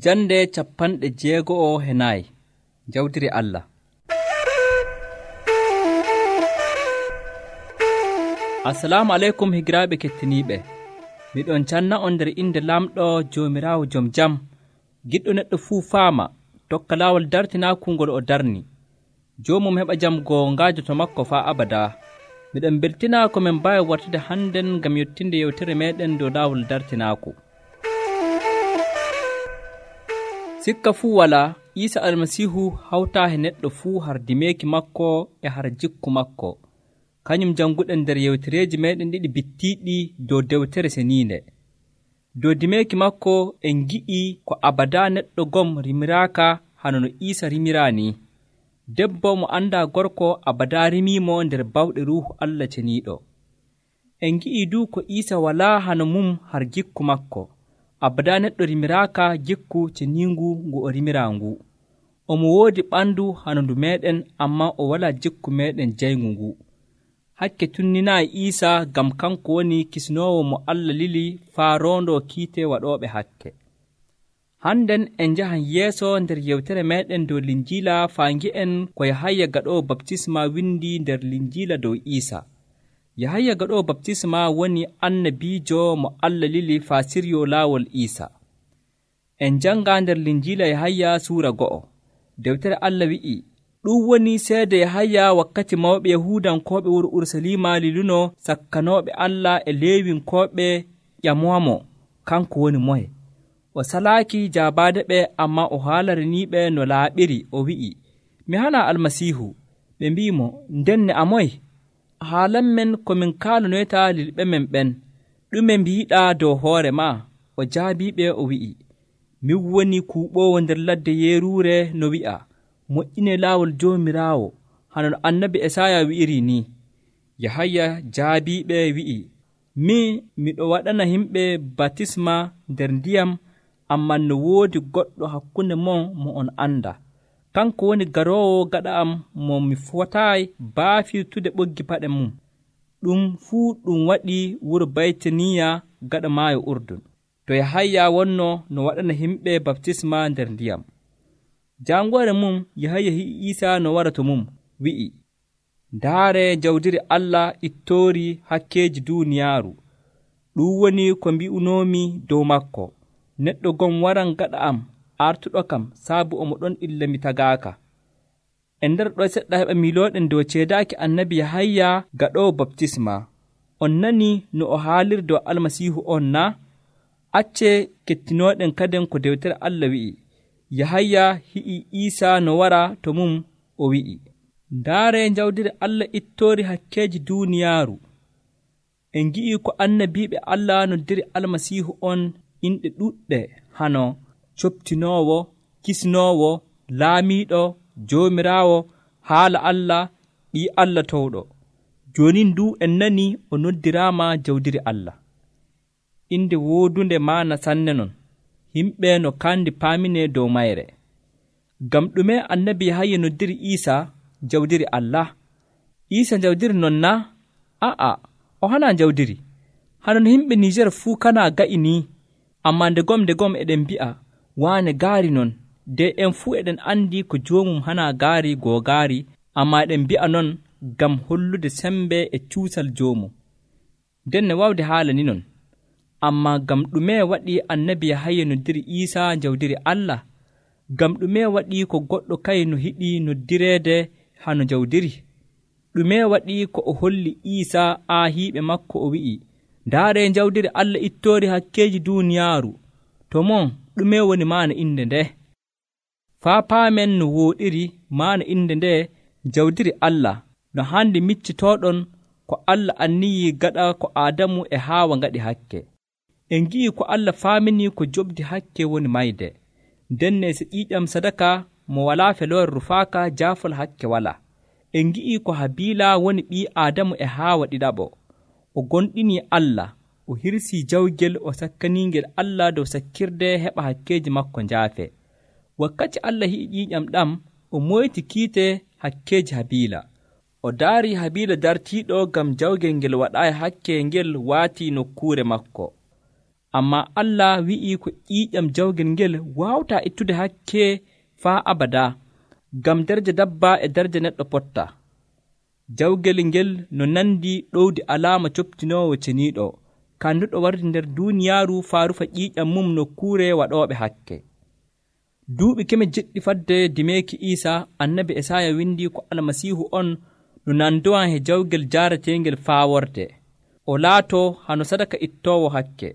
Jande 64 Jawdiri Allah. Assalamu aleykum higiraaɓe kettiniiɓe. Miɗon canna on nder inde lamɗo Joomiraawo jom jam, giɗɗo neɗɗo fuu faama, tokka laawol dartinaaku ngol o darni. Joomum heɓa jam goongaajo to makko faa abadaa. Miɗon beltinaa ko min mbaawi wartude hannden ngam yottinde yewtere meeɗen dow laawol dartinaaku. Sikka fuu walaa, Iisa Almasiihu hawtaa e neɗɗo fuu har dimeeki makko e har jikku makko. Kañum jannguɗen nder yewtereeji meeɗen ɗiɗi bittiiɗi dow dewtere seniinde. Dow dimeeki makko en ngi'ii ko abadaa neɗɗo gom rimiraaka hano no Iisa rimiraa ni. Debbo mo anndaa gorko abadaa rimiimo nder bawɗe Ruuhu Allah ceniiɗo. En ngi'ii duu ko Iisa walaa hano mum har jikku makko. Abadaa neɗɗo rimiraaka jikku ceniingu ngu o rimiraa ngu. Omo woodi ɓandu hano ndu meeɗen, ammaa o walaa jikku meeɗen jayngu ngu. Hakke tunninaayi Iisa ngam kanko woni kisnoowo mo Allah lili faa roondoo kiite waɗooɓe hakke. Hannden en njahan yeeso nder yewtere meeɗen dow Linjiila faa ngi'en ko Yahaya gaɗoowo baptisma windi nder Linjiila dow Iisa. Yahaya gaɗoowo baptisma woni annabiijo mo Allah lili faa siryoo laawol Iisa. En janngaa nder Linjiila Yahaya suura 2. Dewtere Allah wi'i, ɗum woni seede Yahaya wakkati mawɓe Yahuudankooɓe wuro Urusalima liluno sakkanooɓe Allah e leewinkooɓe ƴamoamo kanko woni moye. O salaaki jaabaade ɓe, ammaa o haalaraniiɓe no laaɓiri. O wi'i, mi halaa Almasiihu. Ɓe mbi'imo, ndenne a moye? Haalanmen ko min kaalanoyta lilɓe men ɓen. Ɗume mbiiɗaa dow hoore maa? O jaabiiɓe o wi'i, min woni kuuɓoowo nder ladde yeeruure no wi'a, moƴƴinee laawol Joomiraawo, hano no annabi Esaya wi'iri ni. Yahaya jaabiiɓe wi'i, min miɗo waɗana yimɓe batisma nder ndiyam, ammaa no woodi goɗɗo hakkunde mon mo on anda. Kanko woni garoowo gaɗa am mo mi fotaayi baafirtude ɓoggi paɗe mum. Ɗum fuu ɗum waɗii wuro Baytaniya gaɗa maayo Urdun. To Yahaya wonno no waɗana yimɓe baptisma nder ndiyam. Jaangoore mum Yahaya hi'i Iisa no wara to mum, wi'i, ndaare jawdiri Allah ittoori hakkeeji duuniyaaru. Ɗum woni ko mbi'unoomi dow makko. Neɗɗo gom waran gaɗa am, artuɗo kam, saabu omo ɗon illa mi tagaaka. En nder ɗo seɗɗa heɓa milooɗen dow ceedaaki annabi Yahaya gaɗoowo baptisma. On nani no o haaliri dow Almasiihu on na? Acce kettinooɗen kaden ko dewtere Allah wi'i. Yahaya hi'i Iisa no wara to mum, o wi'i, ndaare jawdiri Allah ittoori hakkeeji duuniyaaru. En ngi'ii ko annabiiɓe Allah noddiri Almasiihu on inɗe ɗuɗɗe hano coptinoowo, kisnoowo, laamiiɗo, Joomiraawo, haala Allah, ɓii Allah towɗo. Joonin du en nani o noddiraama jawdiri Allah. Inde woodunde maana sanne non, yimɓe no kandi paaminee dow mayre. Ngam ɗume annabi Yahaya noddiri Iisa jawdiri Allah? Iisa jawdiri non na? A'a, o hanaa jawdiri. Hano no yimɓe Niijer fuu kanaa ga'i ni, ammaa nde gom eɗen mbi'a, waane gaari non. De en fuu eɗen anndi ko joomum hanaa gaari googaari, ammaa eɗen mbi'a non ngam hollude sembe e cuusal joomum. Nden ne waawde haala ni non. Ammaa ngam ɗume waɗi annabi Yahaya noddiri Iisa jawdiri Allah? Ngam ɗume waɗi ko goɗɗo kay no hiɗi noddireede hano jawdiri? Ɗume waɗi ko o holli Iisa aahiiɓe makko o wi'i, ndaare jawdiri Allah ittoori hakkeeji duuniyaaru. To mon ɗume woni maana inde nde? Faa paamen no wooɗiri maana inde nde jawdiri Allah no hande miccitooɗon ko Allah anniyii gaɗa ko Aadamu e Haawa ngaɗi hakke. En ngi'ii ko Allah faaminii ko jobdi hakke woni mayde. Ndenne so ƴiiƴam sadaka mo walaa feloore rufaaka jaafol hakke walaa. En ngi'ii ko Habiila woni ɓii Aadamu e Haawa ɗiɗaɓo. O gonɗinii Allah, o hirsii jawgel, o sakkaniingel Allah dow sakkirde heɓa hakkeeji makko njaafe. Wakkati Allah hi'i ƴiiƴam ɗam, o moyti kiite hakkeeji Habiila. O daarii Habiila dartiiɗo ngam jawgel ngel waɗaayi hakke ngel waatii nokkuure makko. Ammaa Allah wi'ii ko ƴiiƴam jawgel ngel waawtaa ittude hakke faa abada, ngam daraja dabba e daraja neɗɗo pottaa. Jawgel ngel no nandi ɗowdi alaama coptinoowo ceniiɗo, kanduɗo wardi nder duuniyaaru faa rufa ƴiiƴam mum nokkuure waɗooɓe hakke. Duuɓi keme jeɗɗi fadde dimeeki Iisa, annabi Esaaya windi ko Almasiihu on no nandowan he jawgel jaarateengel faa worde, o laatoo hano sadaka ittoowo hakke.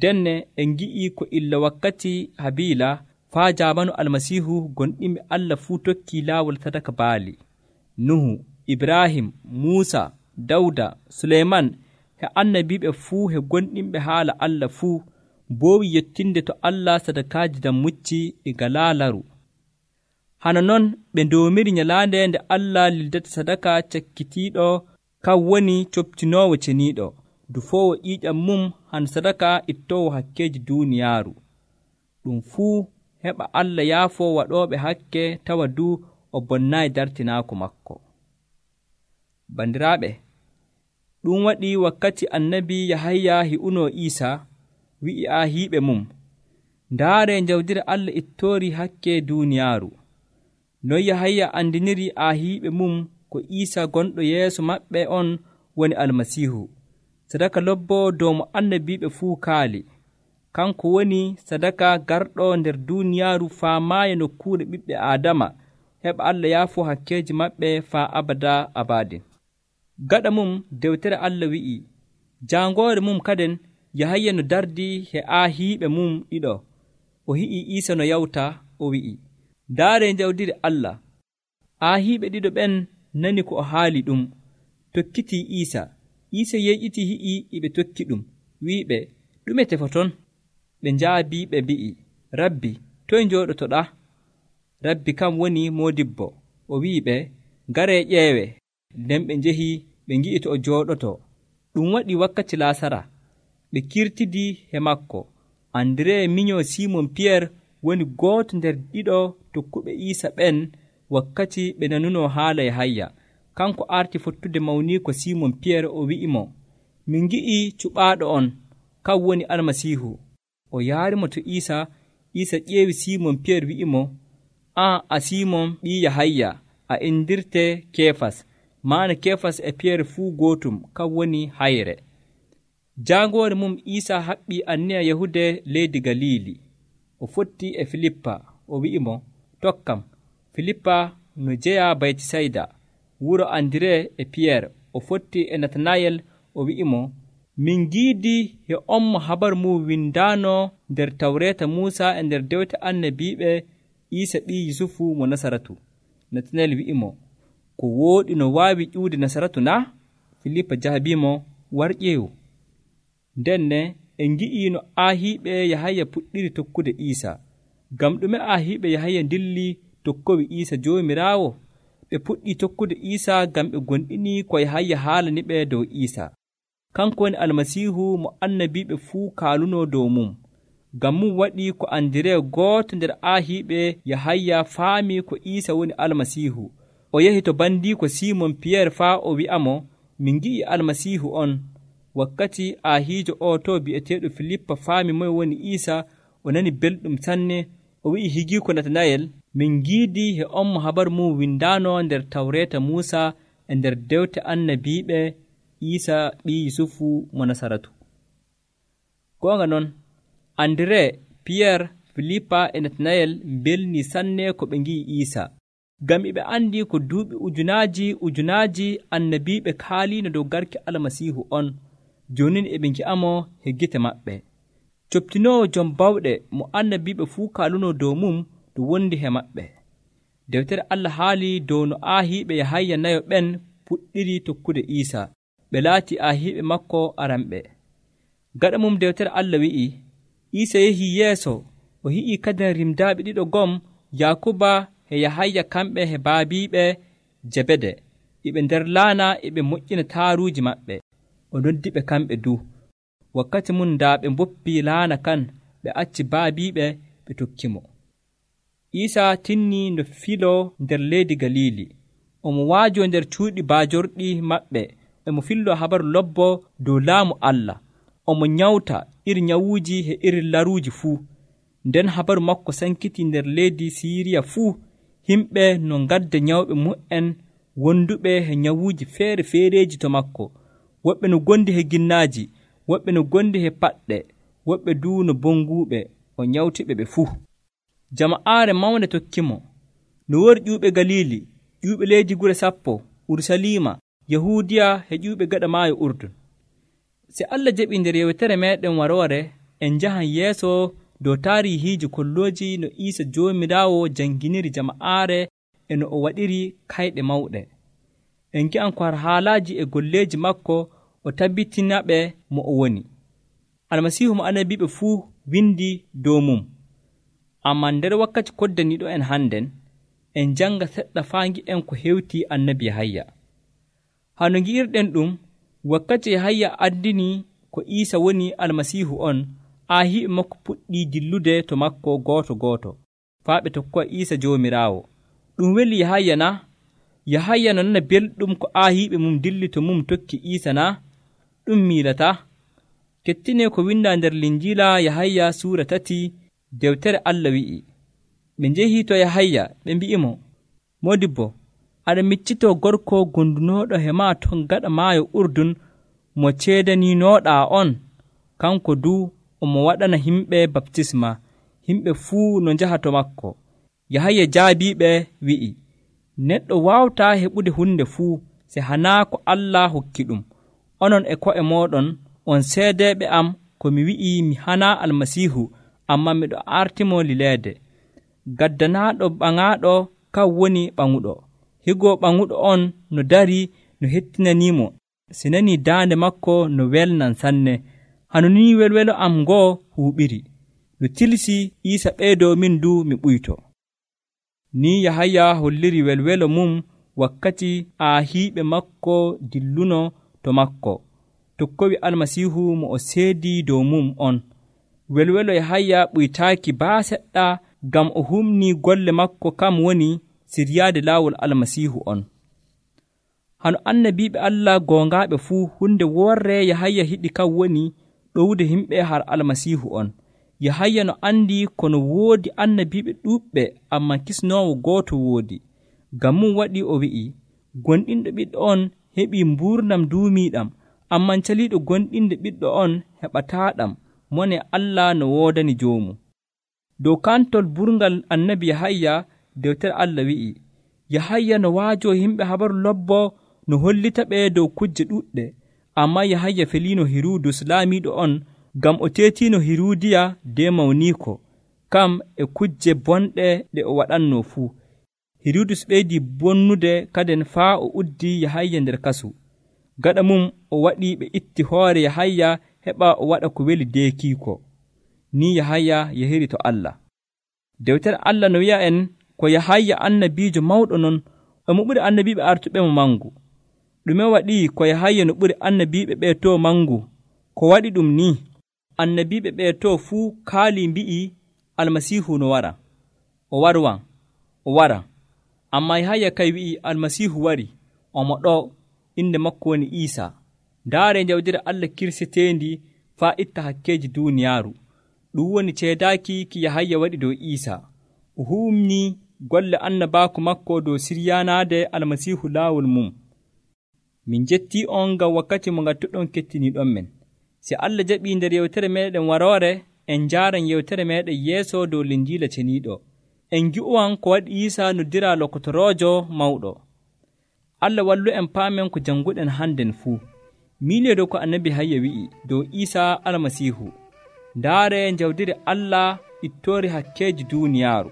Denne en ngi'ii ko illa wakkati Habiila faa jaamanu Almasiihu gonɗinɓe Allah fuu tokkii laawol sadaka baali. Nuhu, Ibrahim, Muusa, Dawda, Suleyman he annabiiɓe fuu he gonɗinɓe haala Allah fuu mboowi yettinde to Allah sadakaaji dam mucci ɗi ngalaa laru. Hana non ɓe ndoomiri nyalaande nde Allah lildata sadaka cakkitiiɗo kan woni coptinoowo ceniiɗo, dufoowo ƴiiƴam mum han sadaka ittoowo hakkeeji duuniyaaru. Ɗum fuu heɓa Allah yaafoo waɗooɓe hakke tawa duu o bonnaayi dartinaako makko. Bandiraaɓe, ɗum waɗi wakkati annabi Yahaya hi'unoo Iisa, wi'i aahiiɓe mum, ndaaree njawdire Allah ittoori hakke duuniyaaru. Non Yahaya andiniri aahiiɓe mum ko Iisa gonɗo yeeso maɓɓe on woni Almasiihu, sadaka lobboo dow mo annabiiɓe fuu kaali. Kanko woni sadaka garɗo nder duuniyaaru faa maaya nokkuure ɓiɓɓe Aadama, heɓa Allah yaafoo hakkeeji maɓɓe faa abada abadin. Gaɗa mum dewtere Allah wi'i, jaangoore mum kaden Yahaya no dardi he aahiiɓe mum ɗiɗo, o hi'i Iisa no yawta, o wi'i, ndaaree njawdiri Allah. Aahiiɓe ɗiɗo ɓen nani ko o haali ɗum, tokkitii Iisa. Iisa yeyƴitii hi'i iɓe tokki ɗum, wi'iɓe, ɗume tefoton? Ɓe njaabii ɓe mbi'i, Rabbi, toye njooɗotoɗaa? Rabbi kam woni moodibbo. O wi'iɓe, ngaree ƴeewe. Nden ɓe njehi ɓe ngi'i to o jooɗoto. Ɗum waɗi wakkati Laasara. Ɓe kirtidii he makko. Andiree minyoo Simon Piyeer woni gooto nder ɗiɗo tokkuɓe Iisa ɓen wakkati ɓe nanunoo haala Yahaya. Kanko arti fottude mawniiko Simon Piyeer, o wi'imo, min ngi'ii cuɓaaɗo on, kan woni Almasiihu. O yaarimo to Iisa. Iisa ƴeewi Simon Piyeer wi'imo, an a Simon ɓii Yahaya, a indirte Keefas. Maana Keefas e Piyeer fuu gootum, kan woni hayre. Jaangoore mum Iisa haɓɓii anniya yahude leydi Galiili. O fotti e Filippa, o wi'imo, tokkam. Filippa no jeyaa Baytisayda, wuro Andiree e Piyeer. O fotti e Natanayel, o wi'imo, min ngiidii he on mo habar mum windaanoo nder Tawreeta Muusa e nder dewte annabiiɓe, Iisa ɓii Yusufu mo Nasaratu. Natanayel wi'imo, ko wooɗi no waawi ƴiwde Nasaratu naa? Filippa jaabiimo, war ƴeewu. Ndenne en ngi'ii no aahiiɓe Yahaya puɗɗiri tokkude Iisa. Ngam ɗume aahiiɓe Yahaya ndilli tokkowi Iisa Joomiraawo? Ɓe puɗɗii tokkude Iisa ngam ɓe gonɗinii ko Yahaya haalani ɓe dow Iisa. Kanko woni Almasiihu mo annabiiɓe fuu kaalunoo dow mum. Ngam mum waɗii ko Andiree gooto nder aahiiɓe Yahaya faamii ko Iisa woni Almasiihu. O yahi to bandiiko Simon Piyeer faa o wi'amo, min ngi'ii Almasiihu on. Wakkati aahiijo o to bi'eteeɗo Filippa faami moye woni Iisa, o nani belɗum sanne. O wi'i higiiko Natanayel, min ngiidii he on mo habar mum windaanoo nder Tawreeta Muusa e nder dewte annabiiɓe, Iisa ɓii Yusufu mo Nasaratu. Goonga non, Andiree, Piyeer, Filippa e Natanayel mbelnii sanne ko ɓe ngi'i Iisa. Ngam e ɓe anndii ko duuɓi ujunaaji annabiiɓe kaaliino dow garki Almasiihu on. Jooni e ɓe ngi'amo he gite maɓɓe. Coptinoowo jom bawɗe mo annabiiɓe fuu kaalunoo dow mum ɗum wondi he maɓɓe. Dewtere Allah haali dow no aahiiɓe Yahaya nayo ɓen puɗɗiri tokkude Iisa. Ɓe laati aahiiɓe makko aranɓe. Gaɗa mum dewtere Allah wi'i, Iisa yehii yeeso, o hi'ii kadin rimdaaɓe ɗiɗo gom, Yaakuba e Yahaya kamɓe he baabiiɓe Jebede. Iɓe nder laana eɓe moƴƴina taaruuji maɓɓe. O noddi ɓe kamɓe du. Wakkati mum daa ɓe mboppii laana kan, ɓe acci baabiiɓe ɓe tokkimo. Iisa tinnii no filoo nder leydi Galiili. Omo waajoo nder cuuɗi baajorɗi maɓɓe, emo filloo habaru lobbo dow laamu Allah. omo nyawta iri nyawuuji he iri laruuji fuu. Nden habaru makko sankiti nder leydi Siiriya fuu. Himɓe no ngadda nyawɓe mu'en wonduɓe he nyawuuji feere-feereji to makko. Woɓɓe no gondi he ginnaaji, woɓɓe no gondi he paɗɗe, woɓɓe duu no bonguuɓe, o nyawtiɓe ɓe fuu. Jama'aare mawnde tokkimo. No wori ƴuuɓe Galili, ƴuuɓe leydi gure sappo, Urusalima, Yahuudiya he ƴuuɓe gaɗa maayo Urdun. Si Allah jaɓii nder yewtere meeɗen waroore, en njahan yeeso dow taarihiiji kollooji no Iisa Joomiraawo janginiri jama'aare e no o waɗiri kayɗe mawɗe. En ngi'an ko har haalaaji e golleeji makko o tabbitinaɓe mo o woni. Almasiihu mo annabiiɓe fuu windi dow mum. Ammaa nder wakkati koddaniiɗo en hannden, en janga seɗɗa faa ngi'en ko hewti annabi Yahaya. Hano ngi'irɗen ɗum, wakkati Yahaya andini ko Iisa woni almasiihu on, aahiɓe makko puɗɗii dillude to makko gooto faa ɓe tokkoya Iisa Joomiraawo. Ɗum weli Yahaya na? Yahaya no nana belɗum ko aahiɓe mum dilli to mum tokki Iisa na? Ɗum miilata. Kettine ko winda nder Linjiila Yahaya suura 3 dewtere Allah wi'i. Ɓe njehii to Yahaya ɓe mbi'imo, Modibbo, aɗa miccitoo gorko gondunooɗo he maa ton gaɗa maayo Urdun mo ceedaninooɗaa on, kanko duu omo waɗana himɓe baptisma, himɓe fuu no njaha to makko. Yahaya jaabiiɓe wi'i, neɗɗo waawtaa heɓude hunde fuu se hanaa ko Allah hokki ɗum. Onon e ko'e mooɗon on seedeeɓe am ko mi wi'i mi hanaa almasiihu, ammaa miɗo artimo lileede. Gaddanaaɗo ɓaŋaaɗo kan woni ɓaŋuɗo. Higo ɓaŋuɗo on no dari no hettinaniimo, si nanii daande makko no welnan sanne. Hano ni welwelo am ngoo huuɓiri. No tilsi Iisa ɓeydoo min du mi ɓuyto. Ni Yahaya holliri welwelo mum wakkati aahiiɓe makko dilluno to makko, tokkowi almasiihu mo o seedii dow mum on. Welwelo Yahaya ɓuytaaki baa seɗɗa ngam o humnii golle makko kam woni siryaade laawol almasiihu on. Hano annabiiɓe Allah goongaaɓe fuu hunde worre Yahaya hiɗi kan woni ɗowde himɓe har almasiihu on. Yahaya no andi kono woodi annabiiɓe ɗuuɓɓe, ammaa kisnoowo gooto woodi. Ngam mum waɗi o wi'i, gonɗinɗo ɓiɗɗo on heɓii mbuurnam duumiiɗam, ammaa caliiɗo gonɗinde ɓiɗɗo on heɓataaɗam, mone Allah no woodani joomu. Dow kantol burgal annabi Yahaya, dewtere Allah wi'i, Yahaya no waajoo himɓe habaru lobbo no hollita ɓe dow kujje ɗuɗɗe, ammaa Yahaya feliino Hirudus laamiiɗo on, ngam o teetiino Hirudiya de mawniiko, kam e kujje bonɗe ɗe o waɗannoo fuu. Hirudus ɓeydii bonnude kaden faa o uddi Yahaya nder kasu. Gaɗa mum o waɗi ɓe itti hoore Yahaya heɓa o waɗa ko weli deekiiko. Ni Yahaya yahiri to Allah. Dewtere Allah no wi'a en ko Yahaya annabiijo mawɗo non, omo ɓuri annabiiɓe artuɓe mo mangu. Ɗume waɗi ko Yahaya no ɓuri annabiiɓe ɓe to mangu? Ko waɗi ɗum ni, annabiiɓe ɓe to fuu kaali mbi'i almasiihu no wara. O wara. Ammaa Yahaya kay wi'i almasiihu wari, omo ɗo, inde makko woni Iisa. Ndaare jawdire Allah kirseteendi faa itta hakkeeji duuniyaaru. Ɗum woni ceedaaki ki Yahaya waɗi dow Iisa. O humni golle annabaaku makko dow siryaanaade almasiihu laawol mum. Min jettii on ngam wakkati mo ngattuɗon kettiniiɗon men. Si Allah jaɓii nder yewtere meeɗen waroore, en njaaran yewtere meeɗen yeeso dow Linjiila ceniiɗo. En ngi'uwan ko waɗi Iisa noddira lokotoroojo mawɗo. Allah wallu en paamen ko jannguɗen hannden fuu. Miilio dow ko annabi Yahaya wi'i dow Iisa almasiihu. Ndaare jawdiri Allah ittoori hakkeeji duuniyaaru.